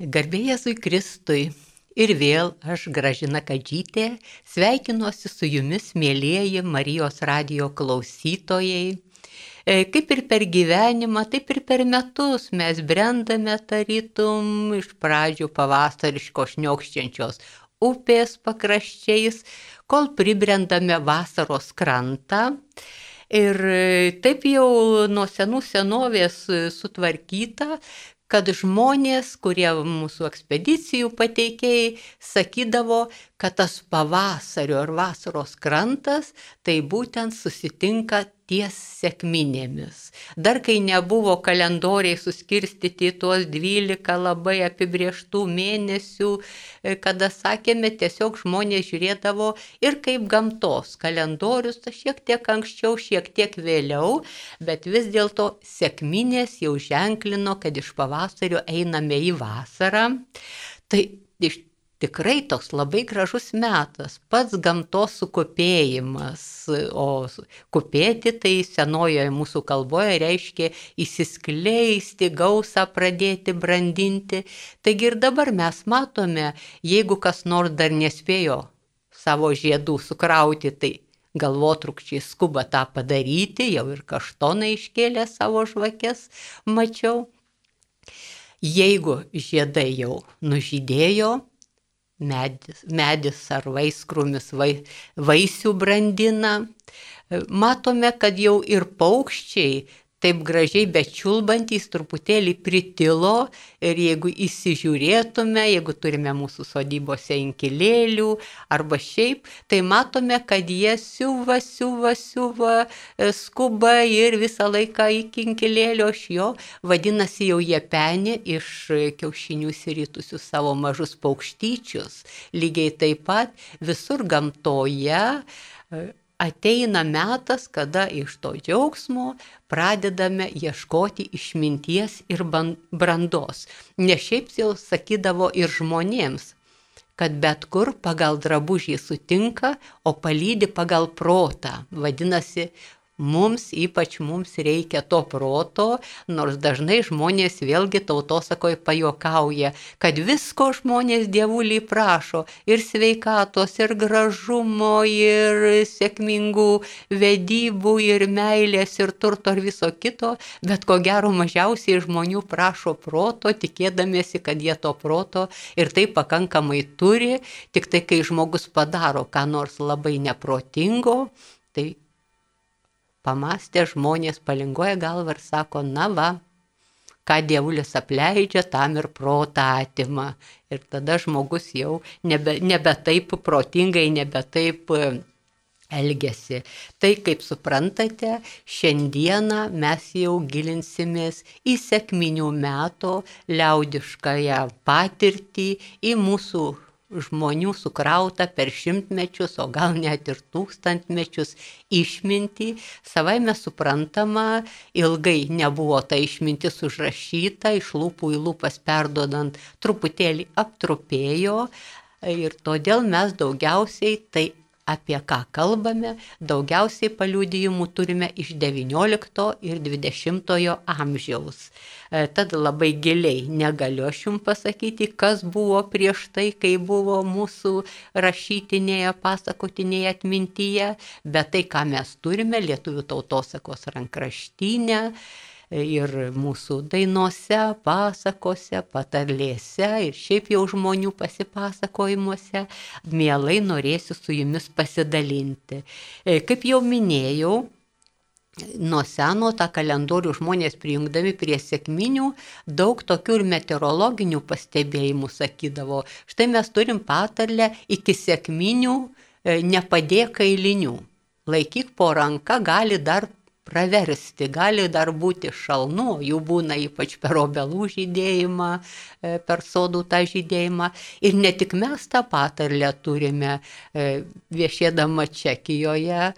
Garbė Jėzui Kristui. Ir vėl aš, Gražina Kadžytė, sveikinuosi su jumis, mėlieji Marijos radijo klausytojai. Kaip ir per gyvenimą, taip ir per metus mes brendame tarytum iš pradžių pavasariško šniokščiančios upės pakraščiais, kol pribrendame vasaros krantą. Ir taip jau nuo senų senovės sutvarkyta, kad žmonės, kurie mūsų ekspedicijų pateikėjai, sakydavo, kad tas pavasario ar vasaros krantas tai būtent susitinka ties sekminėmis. Dar kai nebuvo kalendoriai suskirstyti į tuos 12 labai apibrieštų mėnesių, kada sakėme, tiesiog žmonės žiūrėdavo ir kaip gamtos kalendorius, šiek tiek anksčiau, šiek tiek vėliau, bet vis dėlto sekminės jau ženklino, kad iš pavasario einame į vasarą. Tai tikrai toks labai gražus metas, pats gamtos sukupėjimas, o kupėti tai senojoje mūsų kalboje reiškia įsiskleisti, gausą pradėti brandinti. Taigi ir dabar mes matome, jeigu kas nors dar nespėjo savo žiedų sukrauti, tai galvotrukčiai skuba tą padaryti, jau ir kaštonai iškėlė savo žvakes, mačiau. Jeigu žiedai jau nužydėjo, medis ar vaiskrūmis vaisių brandina, matome, kad jau ir paukščiai taip gražiai bečiulbantys truputėlį pritilo ir jeigu įsižiūrėtume, jeigu turime mūsų sodybose inkilėlių arba šiaip, tai matome, kad jie siuva, skuba ir visą laiką iki inkilėlio iš jo, vadinasi jau jie peni iš kiaušinių išsiritusius savo mažus paukštyčius. Lygiai taip pat visur gamtoje ateina metas, kada iš to džiaugsmo pradedame ieškoti išminties ir brandos. Ne šiaip jau sakydavo ir žmonėms, kad bet kur pagal drabužį sutinka, o palydi pagal protą. Vadinasi, ypač mums reikia to proto, nors dažnai žmonės vėlgi tautosakoje pajuokauja, kad visko žmonės dievulį prašo, ir sveikatos, ir gražumo, ir sėkmingų vedybų, ir meilės, ir turto, ir viso kito, bet ko gero mažiausiai žmonių prašo proto, tikėdamiesi, kad jie to proto ir tai pakankamai turi, tik tai kai žmogus padaro ką nors labai neprotingo, tai pamastę žmonės palingoja galvą ir sako, na va, ką dievulis apleidžia, tam ir protą atima. Ir tada žmogus jau nebe taip protingai, nebe taip elgiasi. Tai, kaip suprantate, šiandieną mes jau gilinsimės į sekminių meto liaudiškąją patirtį, į mūsų žmonių sukrautą per šimtmečius, o gal net ir tūkstantmečius išmintį. Savaime suprantama, ilgai nebuvo ta išmintis užrašyta, iš lūpų į lūpas perduodant truputėlį aptrupėjo ir todėl mes daugiausiai tai apie ką kalbame, daugiausiai paliudijimų turime iš 19 ir 20 amžiaus. Tad labai giliai negaliu aš jums pasakyti, kas buvo prieš tai, kai buvo mūsų rašytinėje, pasakotinėje atmintyje, bet tai, ką mes turime lietuvių tautosakos rankraštyne ir mūsų dainose, pasakose, patarlėse ir šiaip jau žmonių pasipasakojimuose, mielai norėsiu su jumis pasidalinti. Kaip jau minėjau, nuo seno tą kalendorių žmonės prijungdami prie sekminių daug tokių ir meteorologinių pastebėjimų sakydavo. Štai mes turim patarlę iki sekminių nepadėk kailinių. Laikyk po ranka, gali dar praversti, gali dar būti šalnų, jų būna ypač per obelų žydėjimą, per sodų tą žydėjimą. Ir ne tik mes tą patarlę turime, viešėdama Čekijoje,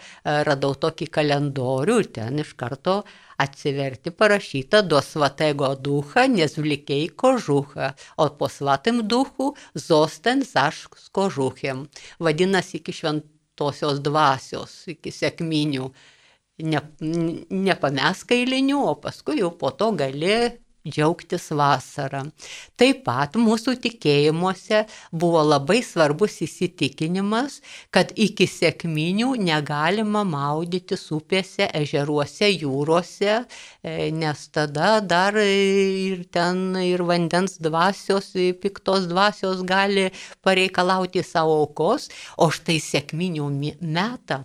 radau tokį kalendorių ir ten iš karto atsiverti parašyta do svatego ducha, nezvlikej kožucha, o po svatim duchu zosten zaš kožuchem. Vadinasi, iki šventosios dvasios, iki sekminių. Nepamesk kailinių, o paskui jau po to gali džiaugtis vasarą. Taip pat mūsų tikėjimuose buvo labai svarbus įsitikinimas, kad iki sekminių negalima maudytis upėse, ežeruose, jūrose, nes tada dar ir ten ir vandens dvasios, piktos dvasios gali pareikalauti savo aukos, o štai sekminių metą,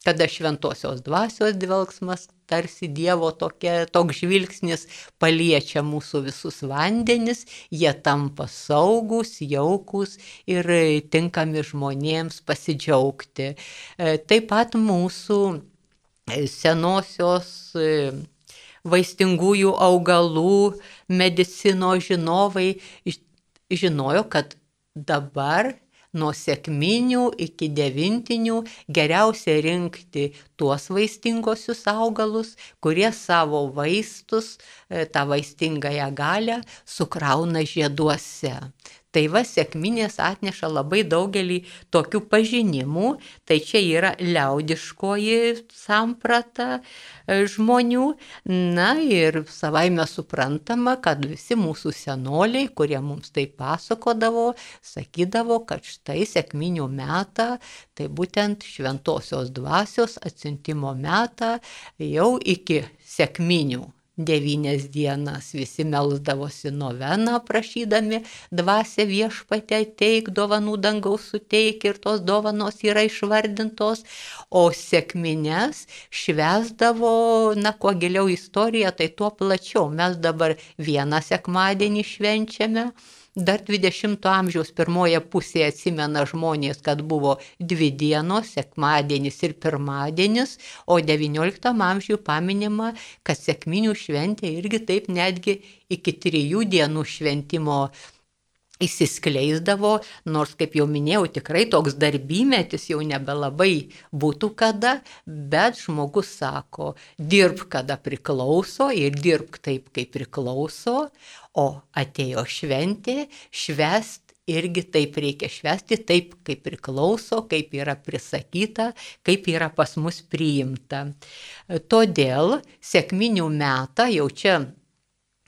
kada šventosios dvasios dvelgsmas, tarsi Dievo toks žvilgsnis paliečia mūsų visus vandenis, jie tampa saugūs, jaukūs ir tinkami žmonėms pasidžiaugti. Taip pat mūsų senosios vaistingųjų augalų medicinos žinovai žinojo, kad dabar nuo sekminių iki devintinių geriausia rinkti tuos vaistingosius augalus, kurie savo vaistus, tą vaistingąją galią sukrauna žieduose. Tai va, sekminės atneša labai daugelį tokių pažinimų, tai čia yra liaudiškoji samprata žmonių. Na ir savaime suprantama, kad visi mūsų senoliai, kurie mums tai pasakodavo, sakydavo, kad štai sekminių metą, tai būtent šventosios dvasios atsiuntimo metą jau iki sekminių. 9 dienas visi melsdavosi noveną, prašydami dvasią Viešpatie ateik, dovanų dangaus suteik, ir tos dovanos yra išvardintos, o sekmines švęsdavo, kuo giliau istorija, tai tuo plačiau. Mes dabar vieną sekmadienį švenčiame. Dar 20 amžiaus pirmoje pusėje atsimena žmonės, kad buvo 2 dienos, sekmadienis ir pirmadienis, o 19 amžiuje paminima, kad sekminių šventė irgi taip netgi iki 3 dienų šventimo įsiskleisdavo, nors, kaip jau minėjau, tikrai toks darbymetis jau nebelabai būtų kada, bet žmogus sako, dirbk kada priklauso ir dirbk taip, kaip priklauso, o atėjo šventė, švęst irgi taip reikia švęsti, taip, kaip priklauso, kaip yra prisakyta, kaip yra pas mus priimta. Todėl sekminių metą jau čia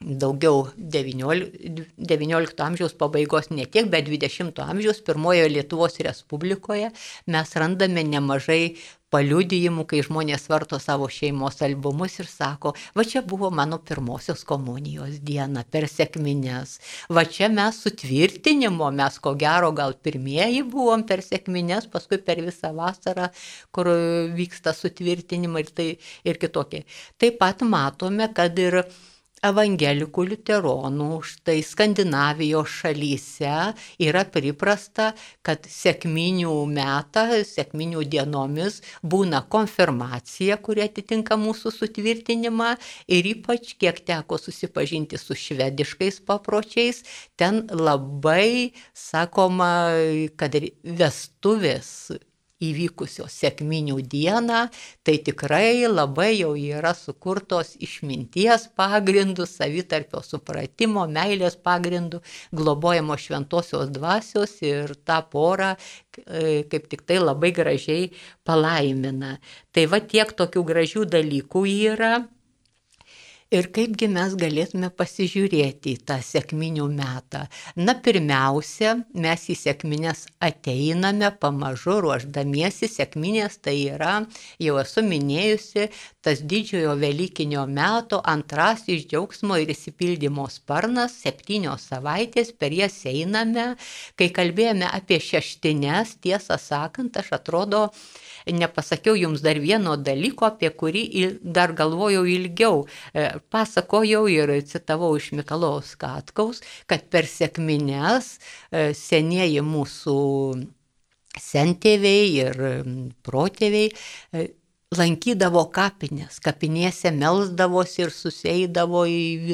daugiau 19 amžiaus pabaigos ne tiek, bet 20 amžiaus pirmojoje Lietuvos Respublikoje mes randame nemažai paliudijimų, kai žmonės varto savo šeimos albumus ir sako, va čia buvo mano pirmosios komunijos diena per sekmines, va čia mes sutvirtinimo, mes ko gero gal pirmieji buvom per sekmines, paskui per visą vasarą, kur vyksta sutvirtinimai ir kitokie. Taip pat matome, kad ir evangelikų liuteronų, štai Skandinavijos šalyse yra priprasta, kad sekminių metą, sekminių dienomis būna konfirmacija, kuri atitinka mūsų sutvirtinimą, ir ypač kiek teko susipažinti su švediškais papročiais, ten labai sakoma, kad vestuvės įvykusios sekminių dieną, tai tikrai labai jau yra sukurtos išminties pagrindų, savitarpio supratimo, meilės pagrindų, globojamo šventosios dvasios, ir tą porą kaip tik tai labai gražiai palaimina. Tai va tiek tokių gražių dalykų yra. Ir kaipgi mes galėtume pasižiūrėti į tą sekminių metą. Pirmiausia, mes į sekmines ateiname pamažu ruošdamiesi. Sekminės tai yra, jau esu minėjusi, tas didžiojo velykinio meto antrasis džiaugsmo ir išsipildymo sparnas, 7 savaitės, per jas einame. Kai kalbėjome apie šeštines, tiesą sakant, aš atrodo, nepasakiau jums dar vieno dalyko, apie kurį dar galvojau ilgiau. Pasakojau ir citavau iš Mikalojaus Katkaus, kad per sekmines senieji mūsų sentėviai ir protėviai lankydavo kapines, kapinėse melsdavosi ir susieidavo į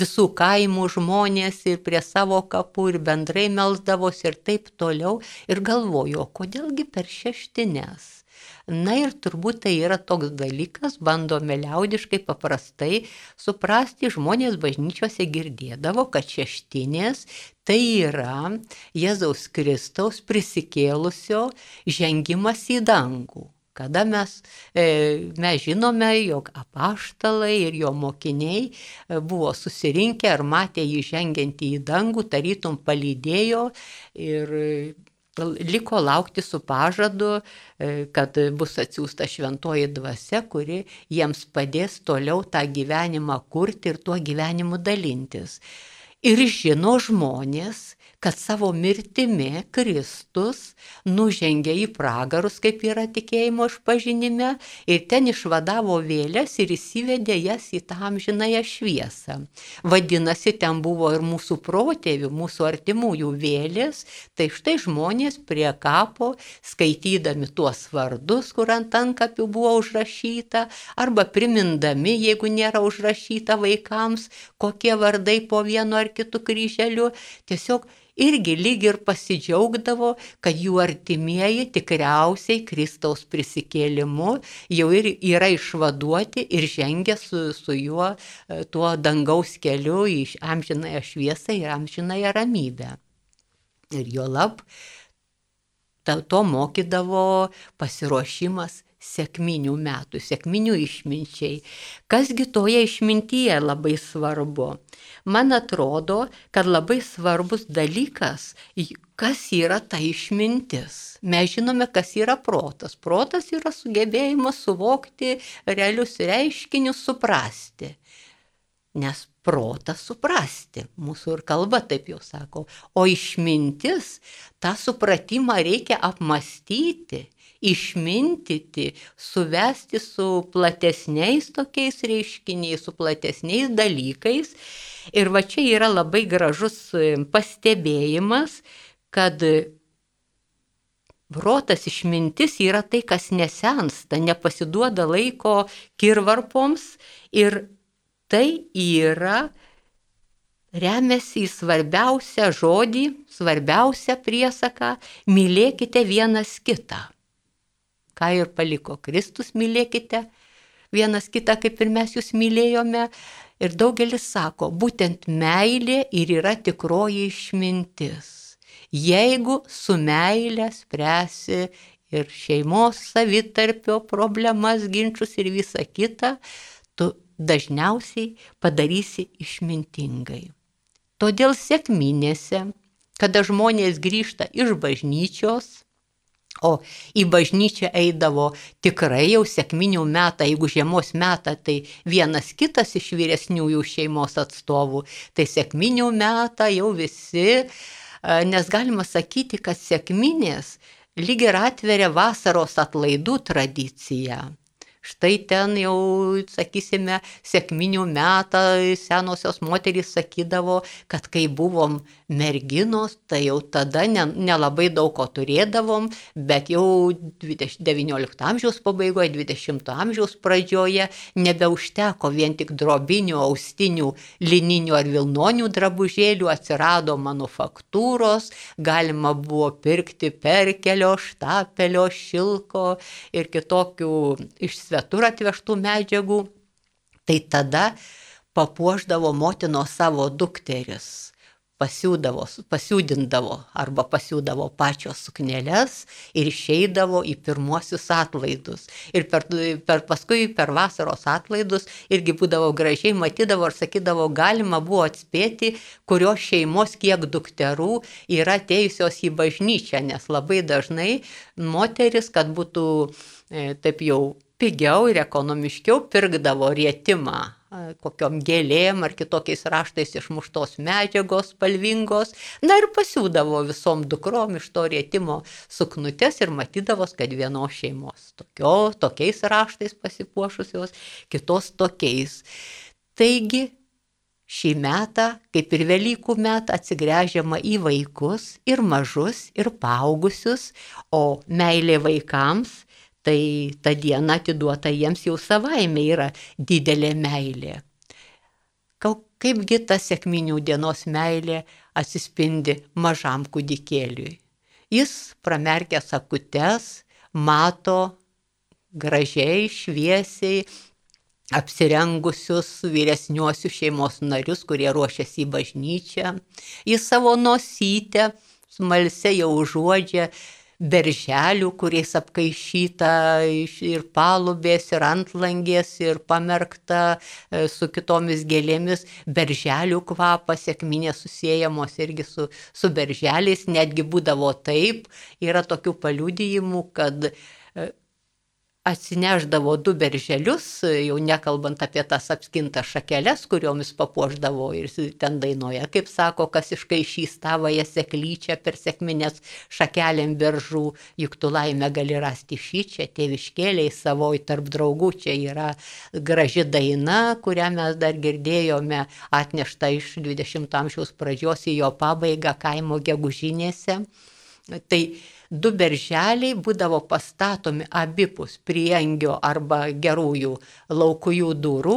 visų kaimų žmonės ir prie savo kapų ir bendrai melsdavosi ir taip toliau. Ir galvojo, kodėlgi per šeštines? Ir turbūt tai yra toks dalykas, bandome liaudiškai paprastai suprasti, žmonės bažnyčiose girdėdavo, kad šeštinės tai yra Jėzaus Kristaus prisikėlusio žengimas į dangų. Kada mes žinome, jog apaštalai ir jo mokiniai buvo susirinkę ar matė jį žengiantį į dangų, tarytum palydėjo ir liko laukti su pažadu, kad bus atsiųsta šventoji dvasia, kuri jiems padės toliau tą gyvenimą kurti ir tuo gyvenimu dalintis. Ir žino žmonės, kad savo mirtimi Kristus nužengė į pragarus, kaip yra tikėjimo išpažinime, ir ten išvadavo vėles ir įsivedė jas į tą amžinąją šviesą. Vadinasi, ten buvo ir mūsų protėvių, mūsų artimųjų vėlės, tai štai žmonės prie kapo, skaitydami tuos vardus, kur ant antkapių buvo užrašyta, arba primindami, jeigu nėra užrašyta vaikams, kokie vardai po vienu ar kitu kryželiu, tiesiog irgi lyg ir pasidžiaugdavo, kad jų artimieji tikriausiai Kristaus prisikėlimu jau ir yra išvaduoti ir žengia su juo tuo dangaus keliu į amžinąją šviesą ir amžinąją ramybę. Ir juolab to mokydavo pasiruošimas sekminių metų, sekminių išminčiai. Kasgi toje išmintyje labai svarbu? Man atrodo, kad labai svarbus dalykas, kas yra ta išmintis. Mes žinome, kas yra protas. Protas yra sugebėjimas suvokti realius reiškinius, suprasti. Nes protas suprasti, mūsų ir kalba taip jau sako. O išmintis, tą supratimą reikia apmastyti, išmintyti, suvesti su platesniais tokiais reiškiniais, su platesniais dalykais. Ir va čia yra labai gražus pastebėjimas, kad protas, išmintis yra tai, kas nesensta, nepasiduoda laiko kirvarpoms ir tai yra remiasi į svarbiausią žodį, svarbiausią priesaką – mylėkite vienas kitą. Ką ir paliko Kristus, mylėkite vienas kitą, kaip ir mes jūs mylėjome. Ir daugelis sako, būtent meilė ir yra tikroji išmintis. Jeigu su meilė spręsi ir šeimos savitarpio problemas, ginčus ir visą kitą, tu dažniausiai padarysi išmintingai. Todėl sekminėse, kada žmonės grįžta iš bažnyčios, o į bažnyčią eidavo tikrai jau sekminių metą, jeigu žiemos metą, tai vienas kitas iš vyresniųjų šeimos atstovų, tai sekminių metą jau visi, nes galima sakyti, kad sekminės lyg ir atveria vasaros atlaidų tradiciją. Štai ten jau, sakysime, sekminių metą senosios moterys sakydavo, kad kai buvom merginos, tai jau tada nelabai daug ko turėdavom, bet jau 19 amžiaus pabaigoje, 20 amžiaus pradžioje nebeužteko vien tik drobinių, austinių, lininių ar vilnonių drabužėlių, atsirado manufaktūros, galima buvo pirkti perkelio, štapelio, šilko ir kitokių iš svetur atvežtų medžiagų, tai tada papuošdavo motinos savo dukteris, pasiūdindavo arba pasiūdavo pačios sukneles ir išeidavo į pirmuosius atlaidus. Ir paskui per vasaros atlaidus irgi būdavo gražiai, matydavo ir sakydavo, galima buvo atspėti, kurios šeimos kiek dukterų yra atėjusios į bažnyčią, nes labai dažnai moteris, kad būtų taip jau pigiau ir ekonomiškiau, pirkdavo rietimą kokiom gėlėm ar kitokiais raštais išmuštos medžiagos spalvingos, na ir pasiūdavo visom dukrom iš to rietimo suknutes ir matydavos, kad vienos šeimos tokiais raštais pasipuošusios, kitos tokiais. Taigi, šį metą, kaip ir Velykų metą, atsigręžiama į vaikus ir mažus, ir paaugusius, o meilė vaikams, tai ta diena atiduota jiems jau savaime yra didelė meilė. Kaipgi ta sekminių dienos meilė atsispindi mažam kūdikėliui. Jis pramerkęs akutes, mato gražiai, šviesiai apsirengusius vyresniuosius šeimos narius, kurie ruošiasi į bažnyčią. Jis savo nosytę smalsiai jau užuodžia berželių, kuriais apkaišyta ir palubės, ir antlangės, ir pamerkta su kitomis gėlėmis. Berželių kvapas, sekminės susiejamos irgi su berželiais, netgi būdavo taip, yra tokių paliudijimų, kad atsineždavo 2 berželius, jau nekalbant apie tas apskintas šakeles, kuriomis papuošdavo ir ten dainuoja, kaip sako, kas iškaišys tavąją seklyčią per sekminės šakelėm beržų, juk tu laimę gali rasti šičia, tėviškėliai savoj tarp draugų. Čia yra graži daina, kurią mes dar girdėjome, atnešta iš 20 amžiaus pradžios į jo pabaigą kaimo gegužinėse. Tai 2 berželiai būdavo pastatomi abipus priengio arba gerųjų laukujų durų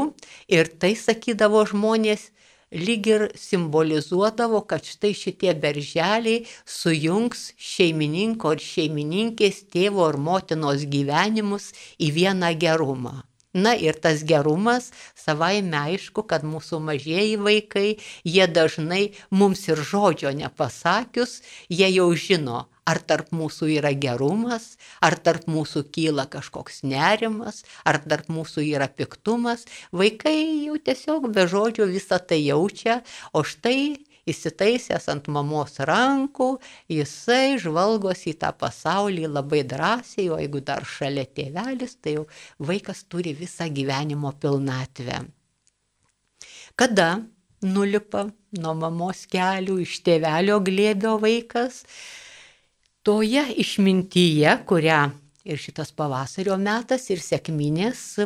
ir tai, sakydavo žmonės, lyg ir simbolizuodavo, kad štai šitie berželiai sujungs šeimininko ir šeimininkės, tėvo ir motinos gyvenimus į vieną gerumą. Na ir tas gerumas, savaime aišku, kad mūsų mažieji vaikai, jie dažnai mums ir žodžio nepasakius, jie jau žino, ar tarp mūsų yra gerumas, ar tarp mūsų kyla kažkoks nerimas, ar tarp mūsų yra piktumas. Vaikai jau tiesiog be žodžio visą tai jaučia, o štai įsitaisęs ant mamos rankų, jisai žvalgosi į tą pasaulį labai drąsiai, o jeigu dar šalia tėvelis, tai jau vaikas turi visą gyvenimo pilnatvę. Kada nulipa nuo mamos kelių iš tėvelio glėbio vaikas, toje išmintyje, kurią ir šitas pavasario metas, ir sekminės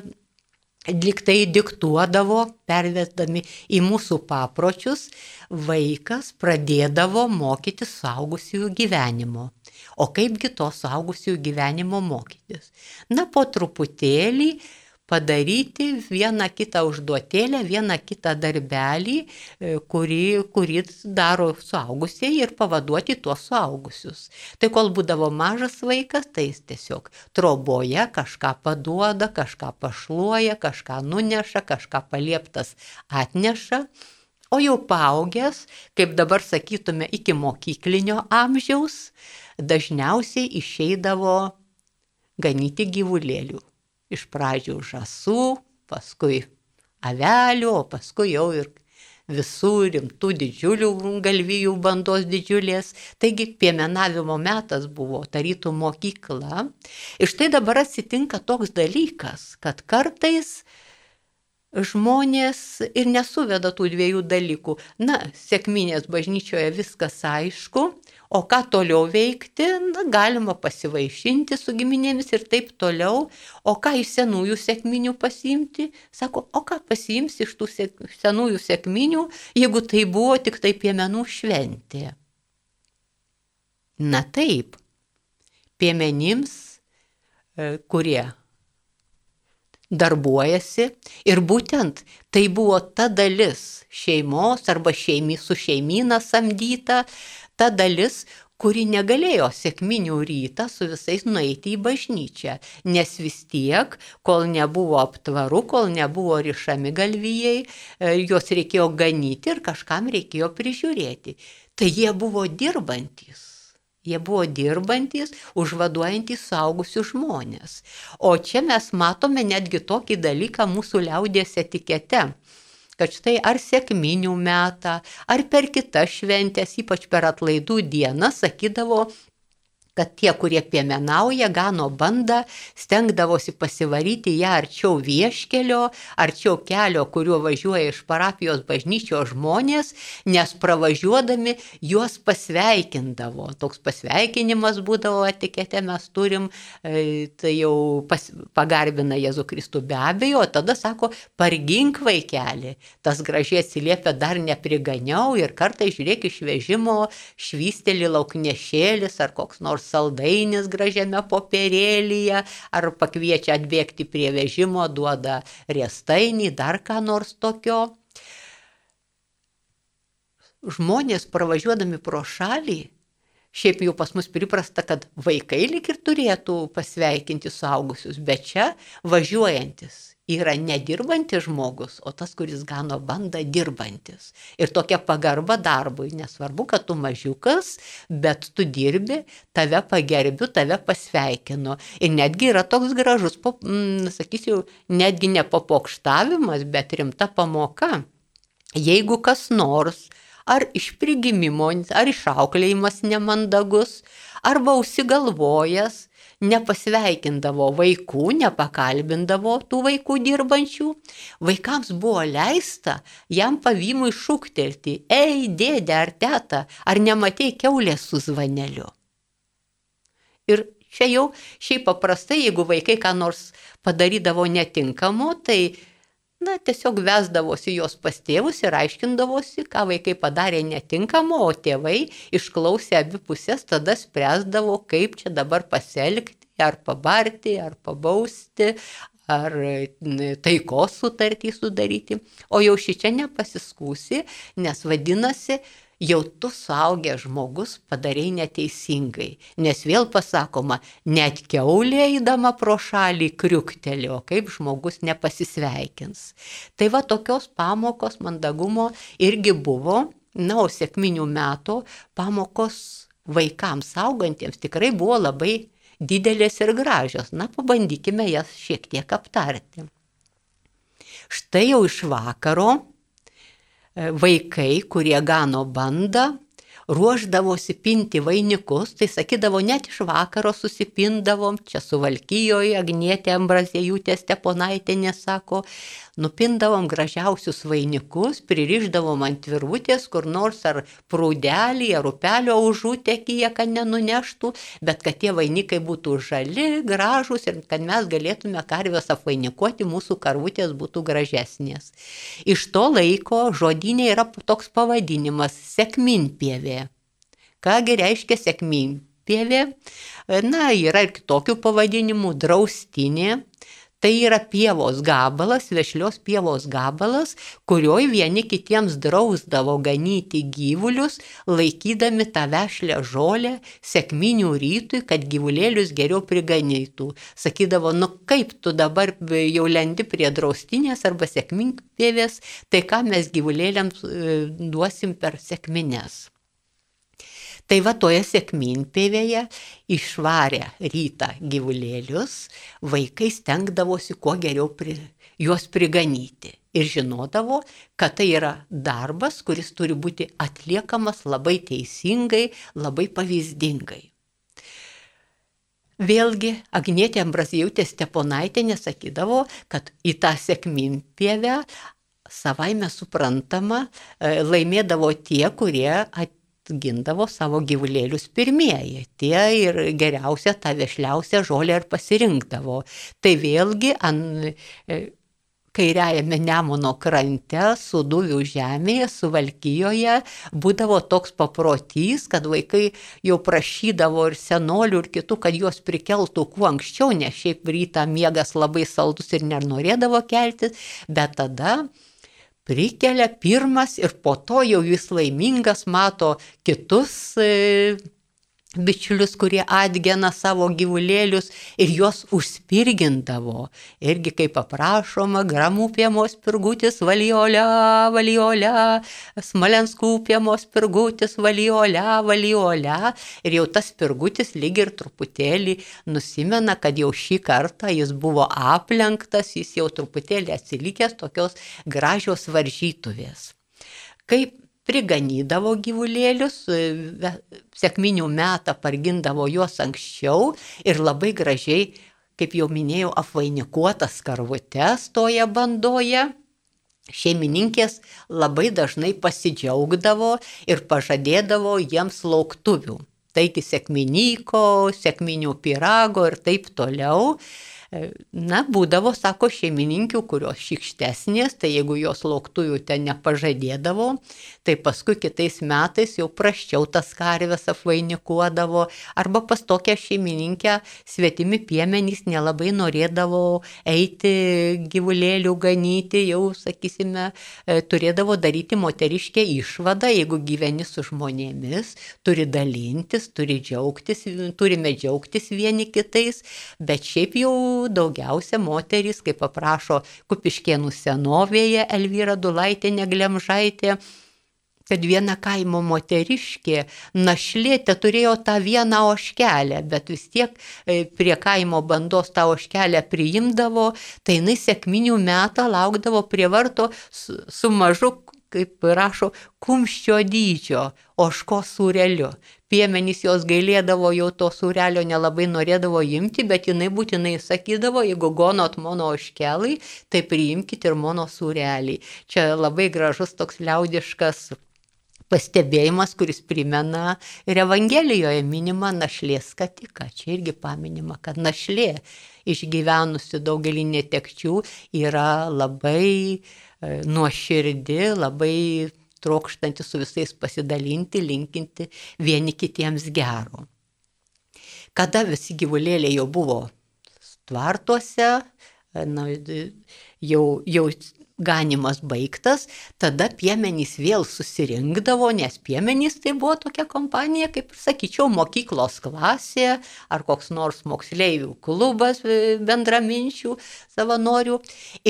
liktai diktuodavo, pervesdami į mūsų papročius, vaikas pradėdavo mokyti suaugusiųjų gyvenimo. O kaipgi to suaugusiųjų gyvenimo mokytis? Na, po truputėlį padaryti vieną kitą užduotėlę, vieną kitą darbelį, kurį daro suaugusieji ir pavaduoti tuos suaugusius. Tai kol būdavo mažas vaikas, tai jis tiesiog troboje kažką paduoda, kažką pašluoja, kažką nuneša, kažką palieptas atneša. O jau paaugęs, kaip dabar sakytume, iki mokyklinio amžiaus, dažniausiai išeidavo ganyti gyvulėlių. Iš pradžių žąsų, paskui avelių, o paskui jau ir visų rimtų didžiulių galvijų bandos didžiulės. Taigi piemenavimo metas buvo tarytum mokykla. Ir štai dabar atsitinka toks dalykas, kad kartais žmonės ir nesuveda tų 2 dalykų. Na, sekminės bažnyčioje viskas aišku, o ką toliau veikti, na, galima pasivaišinti su giminėmis ir taip toliau. O ką iš senųjų sekminių pasiimti? Sako, o ką pasiimsi iš tų senųjų sekminių, jeigu tai buvo tik tai piemenų šventė? Na taip, piemenims, kurie darbuojasi, ir būtent tai buvo ta dalis šeimos arba su šeimyna samdyta, ta dalis, kuri negalėjo sekminių rytą su visais nueiti į bažnyčią, nes vis tiek, kol nebuvo aptvarų, kol nebuvo rišami galvijai, juos reikėjo ganyti ir kažkam reikėjo prižiūrėti. Tai jie buvo dirbantys. Jie buvo dirbantys, užvaduojantys suaugusius žmonės. O čia mes matome netgi tokį dalyką mūsų liaudies etikete, kad štai ar sekminių metą, ar per kitas šventės, ypač per atlaidų dieną, sakydavo, kad tie, kurie piemenauja, gano bandą, stengdavosi pasivaryti ją arčiau vieškelio, arčiau kelio, kuriuo važiuoja iš parapijos bažnyčios žmonės, nes pravažiuodami juos pasveikindavo. Toks pasveikinimas būdavo etikete, mes turim, tai jau pagarbina Jėzų Kristų be abejo, o tada sako, pargink vaikelį. Tas gražiai atsiliepia, dar nepriganiau, ir kartais žiūrėk iš vežimo švysteli lauknešėlis ar koks nors saldainis gražiame popierėlyje, ar pakviečia atbėgti prie vežimo, duoda riestainį, dar ką nors tokio. Žmonės pravažiuodami pro šalį, šiaip jau pas mus priprasta, kad vaikai lyg ir turėtų pasveikinti suaugusius, bet čia važiuojantis yra nedirbantis žmogus, o tas, kuris gano bandą, dirbantis. Ir tokia pagarba darbui, nesvarbu, kad tu mažiukas, bet tu dirbi, tave pagerbiu, tave pasveikinu. Ir netgi yra toks gražus, sakysiu, netgi ne papokštavimas, bet rimta pamoka. Jeigu kas nors, ar iš prigimimo, ar išauklėjimas nemandagus, arba užsigalvojęs, nepasveikindavo vaikų, nepakalbindavo tų vaikų dirbančių, vaikams buvo leista jam pavymui šūktelti: ei, dėdė ar teta, ar nematei kiaulės su zvaneliu? Ir čia jau šiaip paprastai, jeigu vaikai ką nors padarydavo netinkamo, tai tiesiog vesdavosi jos pas tėvus ir aiškindavosi, ką vaikai padarė netinkamo, o tėvai išklausė abi pusės, tada spręsdavo, kaip čia dabar pasielgti, ar pabarti, ar pabausti, ar taikos sutartį sudaryti. O jau šičia nepasiskūsi, nes vadinasi, jau tu suaugęs žmogus padarei neteisingai, nes vėl pasakoma, net kiaulė eidama pro šalį kriuktelio, kaip žmogus nepasisveikins. Tai va, tokios pamokos mandagumo irgi buvo, o sekminių metų pamokos vaikams augantiems tikrai buvo labai didelės ir gražios. Pabandykime jas šiek tiek aptarti. Štai jau iš vakaro vaikai, kurie gano bandą, ruošdavosi pinti vainikus, tai sakydavo, net iš vakaro susipindavom, čia Suvalkijoje Agnietė Ambraziejūtė Steponaitienė sako, nupindavom gražiausius vainikus, pririšdavom ant virvutės, kur nors ar prūdelį, ar upelio užutekyje, kad nenuneštų, bet kad tie vainikai būtų žali, gražus ir kad mes galėtume karves apvainikuoti, mūsų karvutės būtų gražesnės. Iš to laiko žodyne yra toks pavadinimas – sekminpievė. Kągi reiškia sekminpievė? Yra ir kitokių pavadinimų – draustinė. Tai yra pievos gabalas, vešlios pievos gabalas, kurioj vieni kitiems drausdavo ganyti gyvulius, laikydami tą vešlę žolę sekminių rytui, kad gyvulėlius geriau priganytų. Sakydavo, kaip tu dabar jau lendi prie draustinės arba sekminpievės, tai ką mes gyvulėliams duosim per sekmines. Tai va, toje sekminpievėje išvarę rytą gyvulėlius, vaikai stengdavosi kuo geriau juos priganyti. Ir žinodavo, kad tai yra darbas, kuris turi būti atliekamas labai teisingai, labai pavyzdingai. Vėlgi, Agnietė Ambraziejūtė Steponaitienė sakydavo, kad į tą sekminpievę savaime suprantama laimėdavo tie, kurie gindavo savo gyvulėlius pirmieji. Tie ir geriausia, tą vešliausią žolę ir pasirinkdavo. Tai vėlgi kairiajame Nemuno krante, Sūduvių žemėje, Suvalkijoje būdavo toks paprotys, kad vaikai jau prašydavo ir senolių ir kitų, kad juos prikeltų kuo anksčiau, nes šiaip rytą miegas labai saldus ir nenorėdavo keltis, bet tada prikelia pirmas ir po to jau jis laimingas mato kitus bičiulius, kurie atgena savo gyvulėlius ir juos užspirgindavo. Irgi kaip aprašoma, Gramų piemos pirgutis valiolia, valiolia, Smalenskų piemos pirgutis valiolia, valiolia. Ir jau tas pirgutis lyg ir truputėlį nusimena, kad jau šį kartą jis buvo aplenktas, jis jau truputėlį atsilikęs, tokios gražios varžytuvės. Kaip priganydavo gyvulėlius, sekminių metą pargindavo juos anksčiau ir labai gražiai, kaip jau minėjau, apvainikuotas karvutes toje bandoje. Šeimininkės labai dažnai pasidžiaugdavo ir pažadėdavo jiems lauktuvių. Taigi sekminyko, sekminių pyrago ir taip toliau. Būdavo, sako, šeimininkių, kurios šykštesnės, tai jeigu jos lauktuvių ten nepažadėdavo, tai paskui kitais metais jau prasčiau tas karves apvainikuodavo, arba pas tokią šeimininkę svetimi piemenys nelabai norėdavo eiti gyvulėlių ganyti, jau, sakysime, turėdavo daryti moteriškę išvadą, jeigu gyveni su žmonėmis, turi dalintis, turime džiaugtis vieni kitais, bet šiaip jau daugiausia moterys, kaip paprašo Kupiškėnų senovėje Elvyra Dulaitienė Glemžaitė, kad viena kaimo moteriškė našlė turėjo tą vieną ožkelę, bet vis tiek prie kaimo bandos tą ožkelę priimdavo, tai jinai sekminių metą laukdavo prie varto su mažu, kaip rašo, kumščio dydžio ožkos sūreliu. Piemenys jos gailėdavo, jau to sūrelio nelabai norėdavo imti, bet jinai būtinai sakydavo, jeigu gonot mano ožkelai, tai priimkite ir mano sūrelį. Čia labai gražus toks liaudiškas pastebėjimas, kuris primena ir Evangelijoje minima našlės skatiką. Čia irgi paminima, kad našlė išgyvenusi daugelį netekčių yra labai nuoširdi, labai trokštanti su visais pasidalinti, linkinti vieni kitiems gero. Kada visi gyvulėliai jau buvo tvartuose, jau ganimas baigtas, tada piemenys vėl susirinkdavo, nes piemenys tai buvo tokia kompanija, kaip ir sakyčiau, mokyklos klasė ar koks nors moksleivių klubas bendraminčių savanorių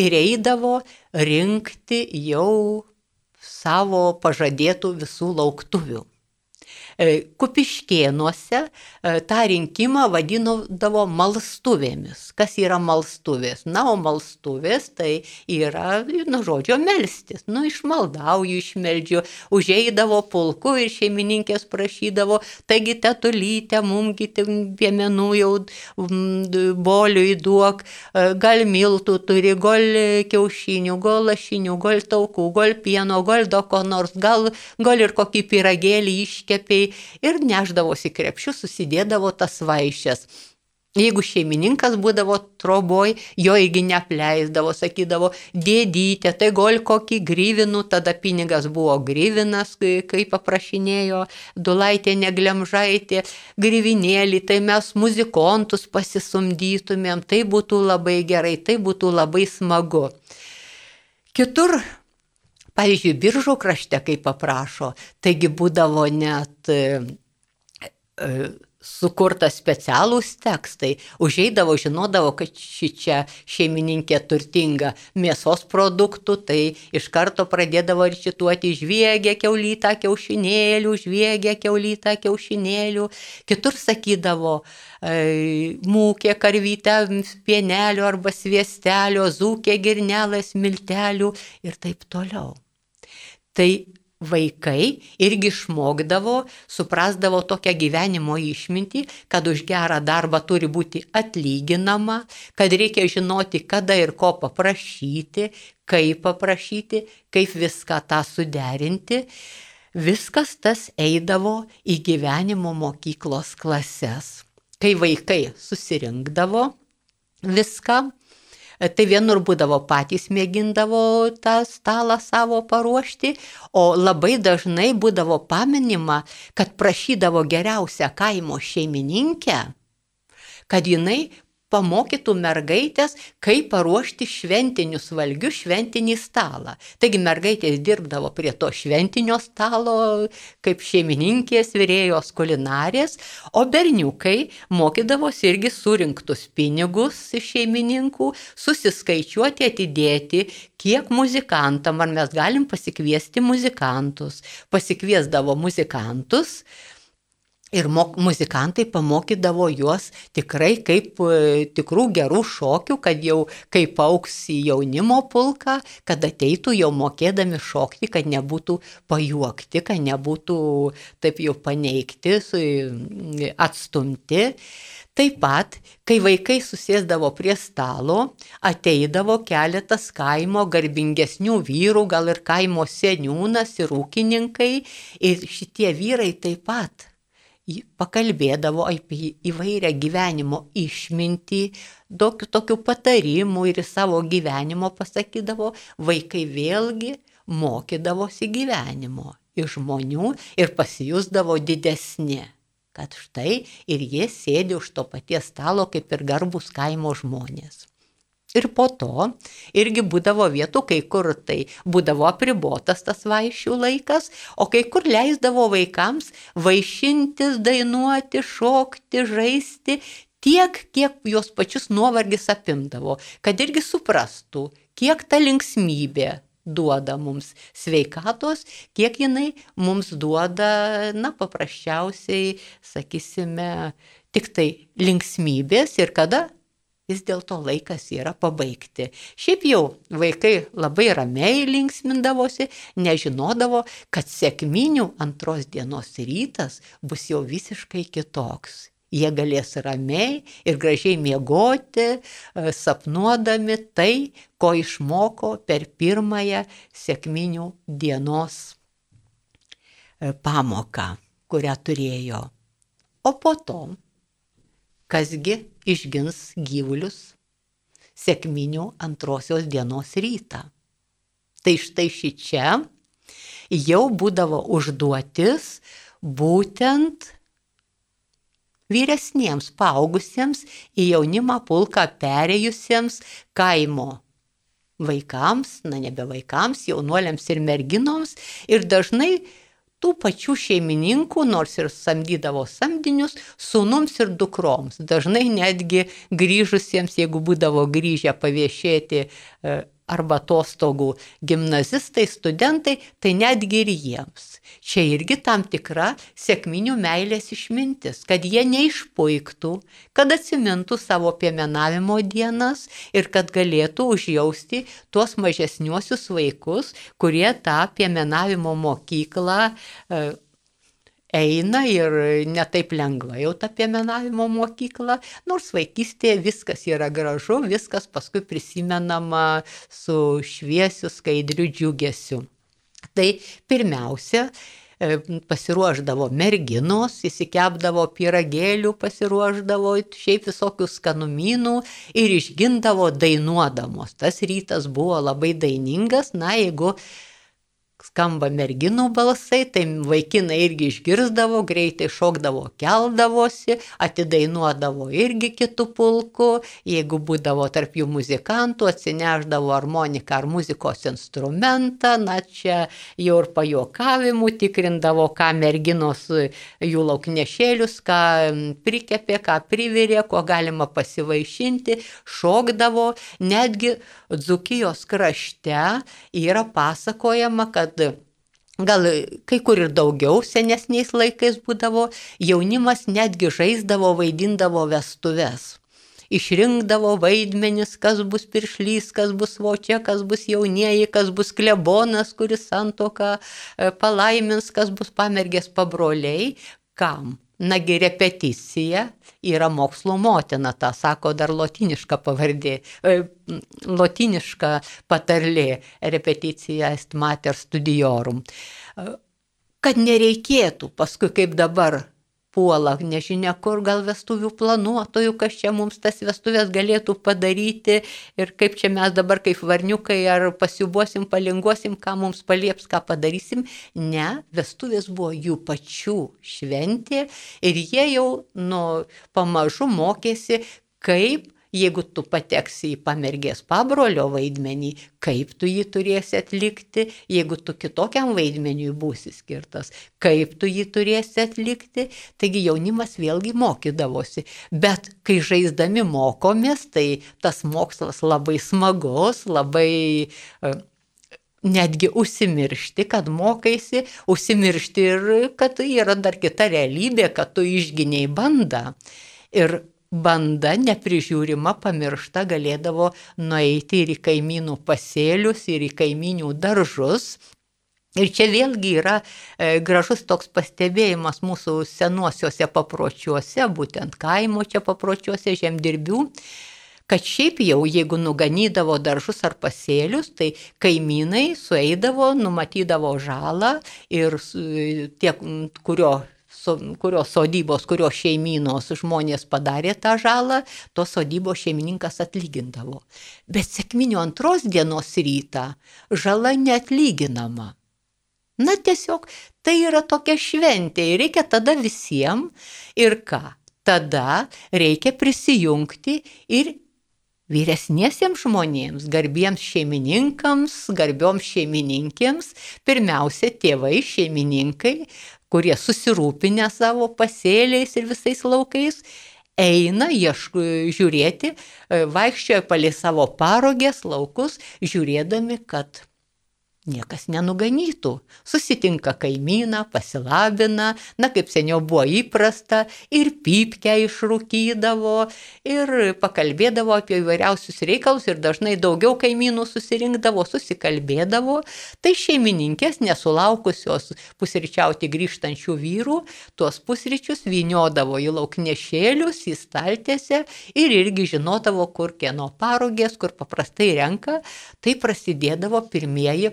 ir eidavo rinkti jau savo pažadėtų visų lauktuvių. Kupiškėnuose tą rinkimą vadindavo malstuvėmis. Kas yra malstuvės? Na, o malstuvės tai yra, žodžio melstis. Išmaldauju, išmeldžiu, užeidavo pulku ir šeimininkės prašydavo, taigi tetulyte, mumgi piemenų jau boliui duok, gal miltų turi, gal kiaušinių, gal lašinių, gal taukų, gal pieno, gal ko nors, gal ir kokį pyragėlį iškepė. Ir neždavosi krepšius, susidėdavo tas vaišes. Jeigu šeimininkas būdavo troboj, jo irgi neapleisdavo, sakydavo, dėdytė, tai gal kokį gryvinų, tada pinigas buvo gryvinas, kai paprašinėjo Dulaitienė Glemžaitė, gryvinėlį, tai mes muzikontus pasisumdytumėm, tai būtų labai gerai, tai būtų labai smagu. Kitur, pavyzdžiui, Biržų krašte, kaip paprašo, taigi būdavo net sukurtas specialūs tekstai. Užeidavo, žinodavo, kad čia šeimininkė turtinga mėsos produktų, tai iš karto pradėdavo recituoti žviegia kiaulytą kiaušinėlių, žviegia kiaulytą kiaušinėlių. Kitur sakydavo mūkė karvytę pienelio arba sviestelio, zūkė girnelas miltelių ir taip toliau. Tai vaikai irgi išmokdavo, suprasdavo tokią gyvenimo išmintį, kad už gerą darbą turi būti atlyginama, kad reikia žinoti, kada ir ko paprašyti, kaip viską tą suderinti. Viskas tas eidavo į gyvenimo mokyklos klases. Kai vaikai susirinkdavo viską, tai vienur būdavo patys mėgindavo tą stalą savo paruošti, o labai dažnai būdavo paminima, kad prašydavo geriausią kaimo šeimininkę, kad jinai pamokytų mergaitės, kaip paruošti šventinius valgius, šventinį stalą. Taigi mergaitės dirbdavo prie to šventinio stalo, kaip šeimininkės, virėjos, kulinarės, o berniukai mokydavosi irgi surinktus pinigus iš šeimininkų, susiskaičiuoti, atidėti, kiek muzikantam, ar mes galim pasikviesti muzikantus. Pasikviesdavo muzikantus, ir muzikantai pamokydavo juos tikrai kaip tikrų gerų šokių, kad jau kaip auks į jaunimo pulką, kad ateitų jau mokėdami šokti, kad nebūtų pajuokti, kad nebūtų taip jau paneigti, atstumti. Taip pat, kai vaikai susėsdavo prie stalo, ateidavo keletas kaimo garbingesnių vyrų, gal ir kaimo seniūnas ir ūkininkai, ir šitie vyrai taip pat pakalbėdavo apie įvairią gyvenimo išmintį, tokių patarimų ir savo gyvenimo pasakydavo, vaikai vėlgi mokydavosi gyvenimo iš žmonių ir pasijusdavo didesni, kad štai ir jie sėdi už to paties stalo kaip ir garbūs kaimo žmonės. Ir po to irgi būdavo vietų, kai kur tai būdavo apribotas tas vaišių laikas, o kai kur leisdavo vaikams vaišintis, dainuoti, šokti, žaisti tiek, kiek jos pačius nuovargis apimdavo, kad irgi suprastų, kiek ta linksmybė duoda mums sveikatos, kiek jinai mums duoda, paprasčiausiai, sakysime, tik tai linksmybės ir kada vis dėlto laikas yra pabaigti. Šiaip jau vaikai labai ramiai linksmindavosi, nežinodavo, kad sekminių antros dienos rytas bus jau visiškai kitoks. Jie galės ramiai ir gražiai miegoti, sapnuodami tai, ko išmoko per pirmąją sekminių dienos pamoką, kurią turėjo. O po to, kasgi išgins gyvulius sekminių antrosios dienos rytą. Tai štai šičia jau būdavo užduotis būtent vyresniems, paaugusiems, į jaunimą pulką perėjusiems kaimo vaikams, nebe vaikams, jaunuoliams ir merginoms, ir dažnai tų pačių šeimininkų, nors ir samdydavo samdinius, sūnums ir dukroms. Dažnai netgi grįžusiems, jeigu būdavo grįžę paviešėti arba atostogų gimnazistai, studentai, tai netgi ir jiems. Čia irgi tam tikra sekminių meilės išmintis, kad jie neišpuiktų, kad atsimintų savo piemenavimo dienas ir kad galėtų užjausti tuos mažesniuosius vaikus, kurie tą piemenavimo mokyklą eina ir netaip lengva jau tą piemenavimo mokyklą, nors vaikystėje viskas yra gražu, viskas paskui prisimenama su šviesiu, skaidriu džiugesiu. Tai pirmiausia, pasiruošdavo merginos, įsikepdavo pyragėlių, pasiruošdavo šiaip visokių skanumynų ir išgindavo dainuodamos. Tas rytas buvo labai dainingas, jeigu skamba merginų balsai, tai vaikinai irgi išgirsdavo, greitai šokdavo, keldavosi, atidainuodavo irgi kitų pulkų, jeigu būdavo tarp jų muzikantų, atsineždavo armoniką ar muzikos instrumentą, čia jau ir pajuokavimų, tikrindavo, ką merginos jų lauknešėlius, ką prikepė, ką privirė, ko galima pasivaišinti, šokdavo, netgi Dzūkijos krašte yra pasakojama, kad gal kai kur ir daugiau senesniais laikais būdavo, jaunimas netgi žaisdavo, vaidindavo vestuves. Išrinkdavo vaidmenis, kas bus piršlys, kas bus vočia, kas bus jaunieji, kas bus klebonas, kuris santuoką palaimins, kas bus pamergės pabroliai. Kam? Nagi repeticija yra mokslo motina, tą sako dar lotyniška pavardė, lotyniška patarlė, repeticija est mater studiorum. Kad nereikėtų paskui kaip dabar puola, nežinia kur, gal vestuvių planuotojų, kas čia mums tas vestuvės galėtų padaryti ir kaip čia mes dabar kaip varniukai ar pasiubuosim, palinguosim, ką mums palieps, ką padarysim. Ne, vestuvės buvo jų pačių šventė ir jie jau pamažu mokėsi, kaip, jeigu tu pateksi į pamergės pabrolio vaidmenį, kaip tu jį turėsi atlikti, jeigu tu kitokiam vaidmeniui būsi skirtas, kaip tu jį turėsi atlikti. Taigi jaunimas vėlgi mokydavosi. Bet kai žaisdami mokomės, tai tas mokslas labai smagus, labai netgi užsimiršti, kad mokaisi, užsimiršti ir kad yra dar kita realybė, kad tu išginiai bandą. Ir banda neprižiūrima, pamiršta, galėdavo nueiti ir į kaimynų pasėlius, ir į kaimynių daržus. Ir čia vėlgi yra gražus toks pastebėjimas mūsų senuosiuose papročiuose, būtent kaimo čia papročiuose žemdirbių, kad šiaip jau, jeigu nuganydavo daržus ar pasėlius, tai kaimynai sueidavo, numatydavo žalą ir tie, kurios sodybos, kurios šeimynos žmonės padarė tą žalą, tos sodybos šeimininkas atlygindavo. Bet sekminių antros dienos rytą žala neatlyginama. Tiesiog tai yra tokia šventė ir reikia tada visiems ir ką? Tada reikia prisijungti ir vyresniesiems žmonėms, garbiems šeimininkams, garbioms šeimininkėms, pirmiausia tėvai, šeimininkai, kurie susirūpinę savo pasėliais ir visais laukais, eina žiūrėti, vaikščioja palei savo parogės laukus, žiūrėdami, kad niekas nenuganytų. Susitinka kaimyną, pasilabina, kaip seniau buvo įprasta, ir pypkę išrūkydavo, ir pakalbėdavo apie įvairiausius reikalus, ir dažnai daugiau kaimynų susirinkdavo, susikalbėdavo. Tai šeimininkės, nesulaukusios pusryčiauti grįžtančių vyrų, tuos pusryčius vyniodavo į lauknešėlius, į staltiesę, ir irgi žinodavo, kur kieno parogės, kur paprastai renka. Tai prasidėdavo pirmieji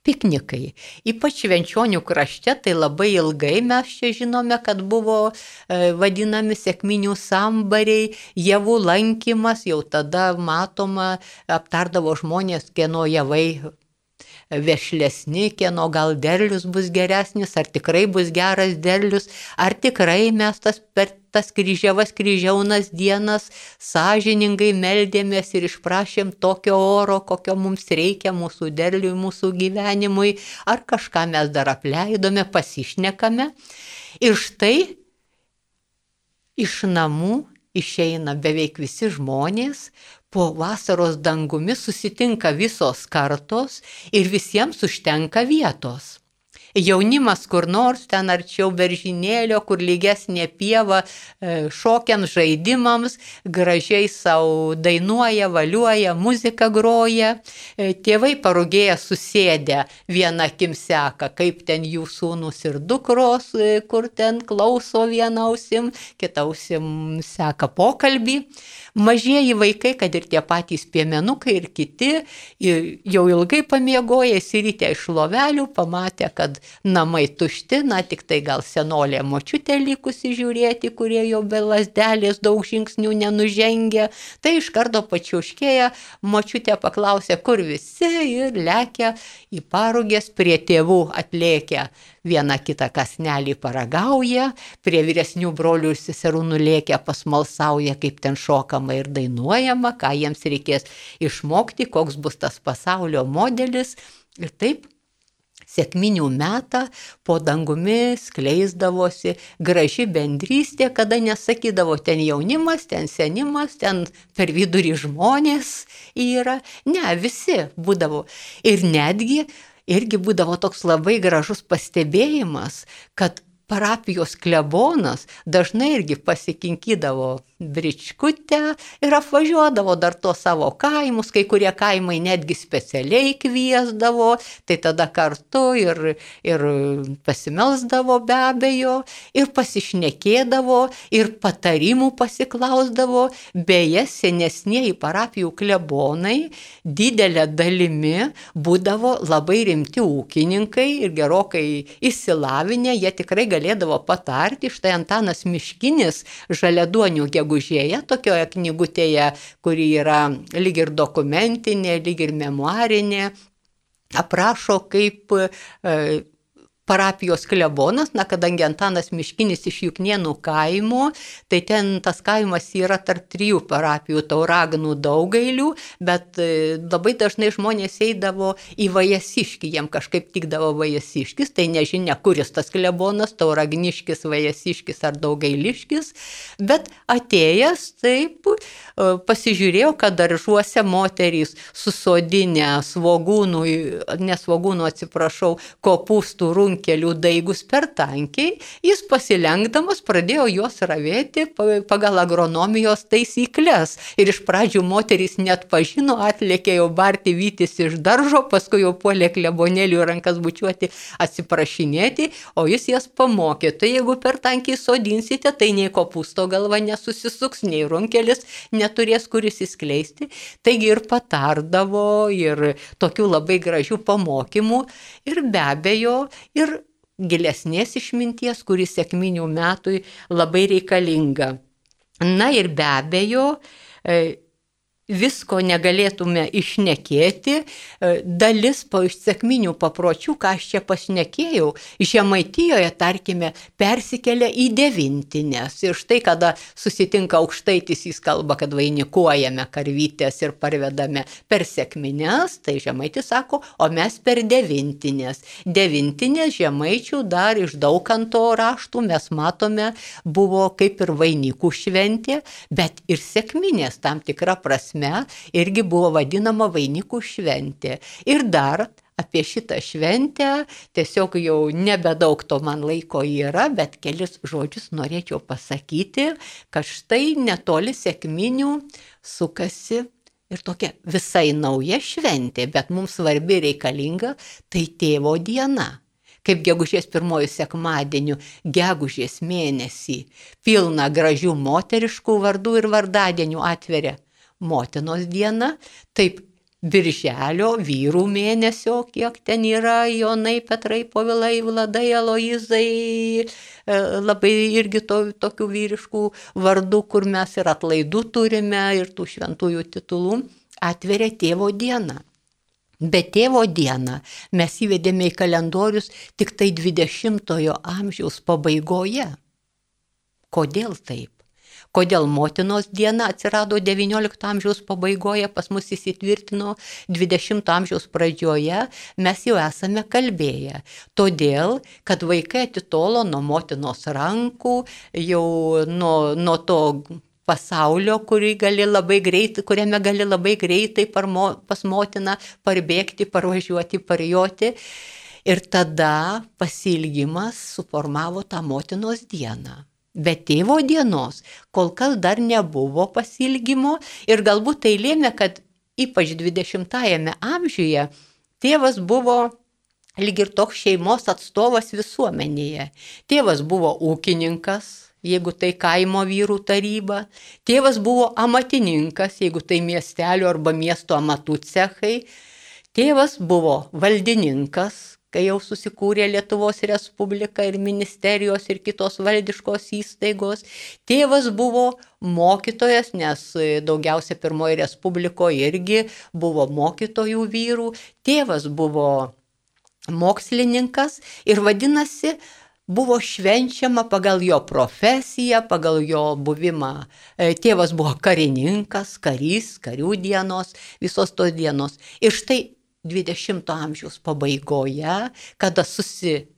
piknikai. Ypač Švenčionių krašte, tai labai ilgai mes čia žinome, kad buvo vadinami sekminių sambariai, javų lankymas, jau tada matoma, aptardavo žmonės, kieno javai vešlesni, kieno gal derlius bus geresnis, ar tikrai bus geras derlius, ar tikrai mes per tas kryžiaunas dienas sąžiningai meldėmės ir išprašėm tokio oro, kokio mums reikia mūsų derliui, mūsų gyvenimui, ar kažką mes dar apleidome, pasišnekame. Ir štai iš namų išeina beveik visi žmonės, po vasaros dangumi susitinka visos kartos ir visiems užtenka vietos. Jaunimas kur nors ten arčiau beržynėlio, kur lygesnė pieva, šokiant žaidimams, gražiai savo dainuoja, valiuoja, muziką groja. Tėvai parugėję susėdę viena akim seka, kaip ten jų sūnus ir dukros, kur ten klauso viena ausim, kita ausim seka pokalbį. Mažieji vaikai, kad ir tie patys piemenukai ir kiti, jau ilgai pamiegoję, įsirytę iš lovelių, pamatė, kad namai tušti, tik tai gal senolė močiutė likusi žiūrėti, kurie jau be lasdelės daug žingsnių nenužengia. Tai iš karto pačiauškėja, močiutė paklausė, kur visi, ir lekia į parugės, prie tėvų atlėkia. Vieną kitą kasnelį paragauja, prie vyresnių brolių ir seserų nulėkia, pasmalsauja, kaip ten šokama ir dainuojama, ką jiems reikės išmokti, koks bus tas pasaulio modelis. Ir taip sekminių metą po dangumi skleisdavosi graži bendrystė, kada nesakydavo ten jaunimas, ten senimas, ten per vidurį žmonės yra. Ne, visi būdavo. Ir netgi irgi būdavo toks labai gražus pastebėjimas, kad parapijos klebonas dažnai irgi pasikinkydavo bričkutę ir apvažiuodavo dar to savo kaimus, kai kurie kaimai netgi specialiai kviesdavo, tai tada kartu ir pasimelsdavo be abejo, ir pasišnekėdavo, ir patarimų pasiklausdavo. Beje, senesnieji parapijų klebonai didelė dalimi būdavo labai rimti ūkininkai ir gerokai išsilavinę, jie tikrai galėdavo patarti. Štai Antanas Miškinis Žaliaduonių gegužėje, tokioje knygutėje, kuri yra lyg ir dokumentinė, lyg ir memuarinė, aprašo, kaip parapijos klebonas, kadangi Antanas Miškinis iš Juknėnų kaimo, tai ten tas kaimas yra tarp 3 parapijų, Tauragnų, Daugailių, bet labai dažnai žmonės eidavo į Vajasiškį, jiem kažkaip tikdavo Vajasiškis, tai nežinia, kuris tas klebonas, Tauragniškis, Vajasiškis ar Daugailiškis, bet atėjęs taip pasižiūrėjau, kad daržuose moterys susodinę kopūstų runkelių daigus per tankiai, jis pasilenkdamas pradėjo juos ravėti pagal agronomijos taisyklės. Ir iš pradžių moterys net pažino, atlėkė jau barti vytis iš daržo, paskui jau puolė klebonėlių rankas bučiuoti, atsiprašinėti, o jis jas pamokė. Tai jeigu per tankiai sodinsite, tai nei kopūsto galva nesusisuks, nei runkelis neturės kur įsiskleisti. Taigi ir patardavo, ir tokių labai gražių pamokymų, ir be abejo, ir gilesnės išminties, kuris sekminių metui labai reikalinga. Na ir be abejo, visko negalėtume išnekėti, dalis iš sekminių papročių, ką aš čia pašnekėjau, Žemaitijoje, tarkime, persikelia į devintinės. Ir štai, kada susitinka aukštaitis, jis kalba, kad vainikuojame karvytės ir parvedame per sekmines, tai žemaitis sako, o mes per devintinės. Devintinės žemaičių dar iš Daukanto raštų mes matome, buvo kaip ir vainikų šventė, bet ir sekminės tam tikra prasme irgi buvo vadinama vainikų šventė. Ir dar apie šitą šventę, tiesiog jau nebedaug to man laiko yra, bet kelis žodžius norėčiau pasakyti, kad štai netoli sekminių sukasi ir tokia visai nauja šventė, bet mums svarbi reikalinga, tai tėvo diena. Kaip gegužės 1 sekmadieniu, gegužės mėnesį, pilna gražių moteriškų vardų ir vardadienių atveria motinos diena, taip birželio vyrų mėnesio, kiek ten yra, Jonai, Petrai, Povilai, Vladai, Aloizai, labai irgi tokių vyriškų vardų, kur mes ir atlaidų turime, ir tų šventųjų titulų, atveria tėvo diena. Bet tėvo dieną mes įvedėme į kalendorius tik tai 20-ojo amžiaus pabaigoje. Kodėl taip? Kodėl motinos diena atsirado 19 amžiaus pabaigoje, pas mus įsitvirtino 20 amžiaus pradžioje, mes jau esame kalbėję. Todėl, kad vaikai atitolo nuo motinos rankų, jau nuo to pasaulio, kuriame gali labai greitai pas motiną parbėgti, parvažiuoti, parjoti. Ir tada pasilgimas suformavo tą motinos dieną. Bet tėvo dienos kol kas dar nebuvo pasilgimo ir galbūt tai lėmė, kad ypač 20-ajame amžiuje tėvas buvo lyg ir toks šeimos atstovas visuomenėje. Tėvas buvo ūkininkas, jeigu tai kaimo vyrų taryba. Tėvas buvo amatininkas, jeigu tai miestelio arba miesto amatų cechai. Tėvas buvo valdininkas, kai jau susikūrė Lietuvos Respublika ir ministerijos ir kitos valdiškos įstaigos. Tėvas buvo mokytojas, nes daugiausia Pirmoji Respublikoje irgi buvo mokytojų vyrų. Tėvas buvo mokslininkas ir vadinasi, buvo švenčiama pagal jo profesiją, pagal jo buvimą. Tėvas buvo karininkas, karys, karių dienos, visos tos dienos. Ir štai 20 amžiaus pabaigoje, kada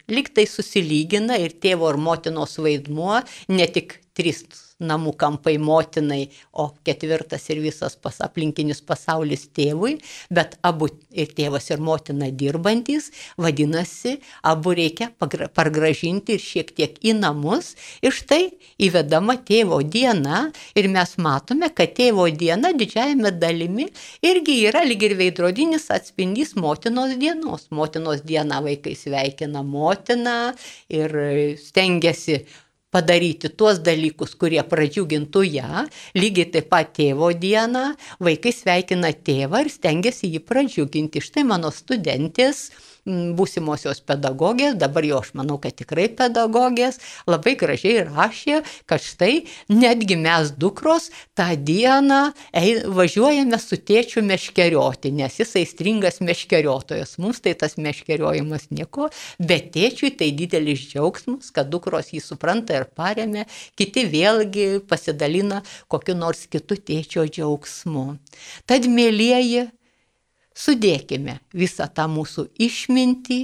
lygtai susilygina ir tėvo ir motinos vaidmuo, ne tik 3 namų kampai motinai, o 4 ir visas aplinkinis pasaulis tėvui, bet abu ir tėvas ir motina dirbantys, vadinasi, abu reikia pargražinti ir šiek tiek į namus. Ir štai įvedama tėvo diena ir mes matome, kad tėvo diena didžiajame dalimi irgi yra lyg ir veidrodinis atspindys motinos dienos. Motinos diena vaikai sveikina motiną ir stengiasi padaryti tuos dalykus, kurie pradžiugintų ją. Lygiai taip pat tėvo dieną vaikai sveikina tėvą ir stengiasi jį pradžiuginti. Štai mano studentės, būsimosios pedagogės, dabar jau aš manau, kad tikrai pedagogės, labai gražiai rašė, kad štai netgi mes dukros tą dieną važiuojame su tėčiu meškerioti, nes jis aistringas meškeriotojas. Mums tai tas meškeriojimas nieko, bet tėčiui tai didelis džiaugsmas, kad dukros jį supranta ir paremia, kiti vėlgi pasidalina kokiu nors kitu tėčio džiaugsmu. Tad, mielieji, sudėkime visą tą mūsų išmintį,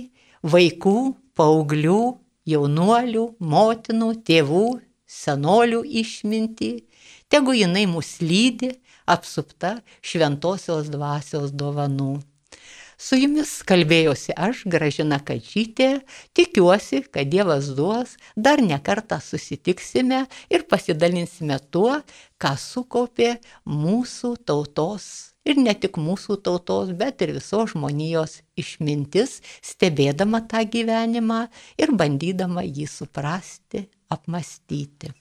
vaikų, paauglių, jaunuolių, motinų, tėvų, senolių išmintį, tegu jinai mus lydi, apsupta šventosios dvasios dovanų. Su jumis kalbėjosi aš, Gražina Kadžytė, tikiuosi, kad Dievas duos, dar ne kartą susitiksime ir pasidalinsime tuo, ką sukaupė mūsų tautos. Ir ne tik mūsų tautos, bet ir visos žmonijos išmintis, stebėdama tą gyvenimą ir bandydama jį suprasti, apmąstyti.